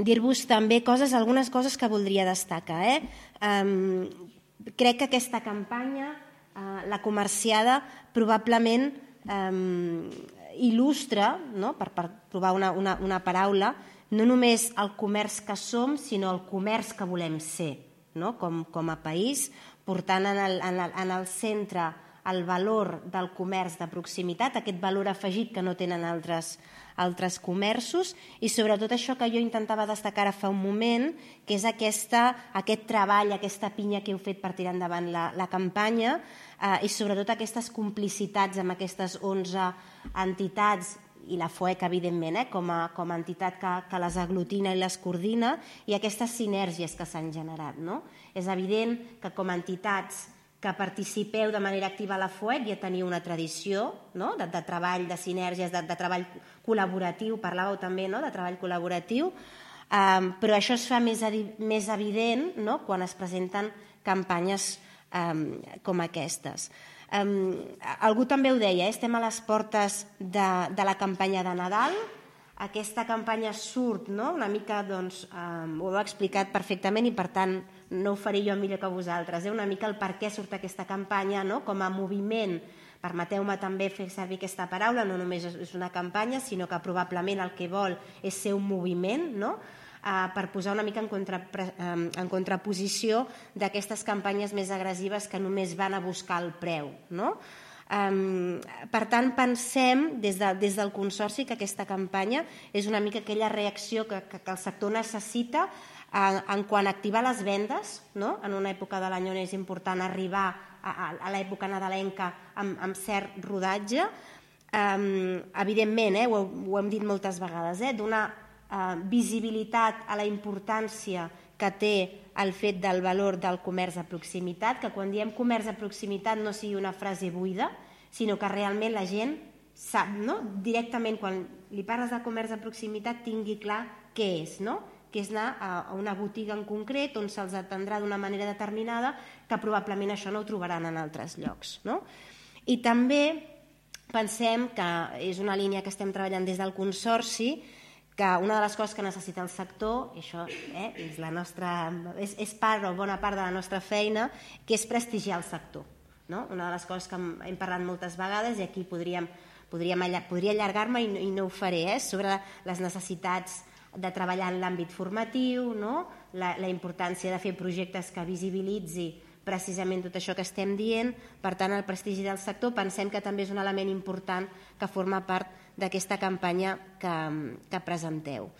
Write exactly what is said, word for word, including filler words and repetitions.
dir-vos també coses, algunes coses que voldria destacar. Eh? Um, crec que aquesta campanya, uh, la comerciada, probablement um, il·lustra, no? per, per provar una, una, una paraula, no només el comerç que som, sinó el comerç que volem ser, no? com, com a país, portant en el, en el, en el centre el valor del comerç de proximitat, aquest valor afegit que no tenen altres, altres comerços, i sobretot això que jo intentava destacar ara fa un moment, que és aquesta, aquest treball, aquesta pinya que heu fet per tirar endavant la, la campanya, eh, i sobretot aquestes complicitats amb aquestes onze entitats, i la FOEC, evidentment, eh, com, a, com a entitat que, que les aglutina i les coordina, i aquestes sinergies que s'han generat. No? És evident que com a entitats que participeu de manera activa a la FOEC ja teniu una tradició, no? de, de treball, de sinergies, de, de treball col·laboratiu, parlàveu també, no? de treball col·laboratiu, um, però això es fa més, més evident, no? quan es presenten campanyes um, com aquestes. Um, algú també ho deia, eh? estem a les portes de, de la campanya de Nadal. Aquesta campanya surt, no? una mica, doncs, um, ho heu explicat perfectament i per tant no ho faré jo millor que vosaltres, eh? una mica el per què surt aquesta campanya, no? com a moviment, permeteu-me també fer servir aquesta paraula, no només és una campanya, sinó que probablement el que vol és ser un moviment, no? uh, per posar una mica en, contra, um, en contraposició d'aquestes campanyes més agressives que només van a buscar el preu. No? Um, per tant, pensem des, de, des del Consorci que aquesta campanya és una mica aquella reacció que, que, que el sector necessita en, en quant a activar les vendes, no? en una època de l'any on és important arribar a, a, a l'època nadalenca amb, amb cert rodatge. Um, evidentment, eh, ho, ho hem dit moltes vegades, eh, donar uh, visibilitat a la importància que té el fet del valor del comerç de proximitat, que quan diem comerç de proximitat no sigui una frase buida, sinó que realment la gent sap, no? directament quan li parles de comerç de proximitat tingui clar què és, no? que és anar a una botiga en concret on se'ls atendrà d'una manera determinada, que probablement això no ho trobaran en altres llocs. No? I també pensem que és una línia que estem treballant des del Consorci, que una de les coses que necessita el sector, i això eh, és, la nostra, és, és part o bona part de la nostra feina, que és prestigiar el sector. No? Una de les coses que hem parlat moltes vegades, i aquí podríem, podríem, podria allargar-me i, i no ho faré, eh, sobre les necessitats de treballar en l'àmbit formatiu, no? la, la importància de fer projectes que visibilitzi precisament tot això que estem dient. Per tant, el prestigi del sector pensem que també és un element important que forma part d'aquesta campanya que, que presenteu.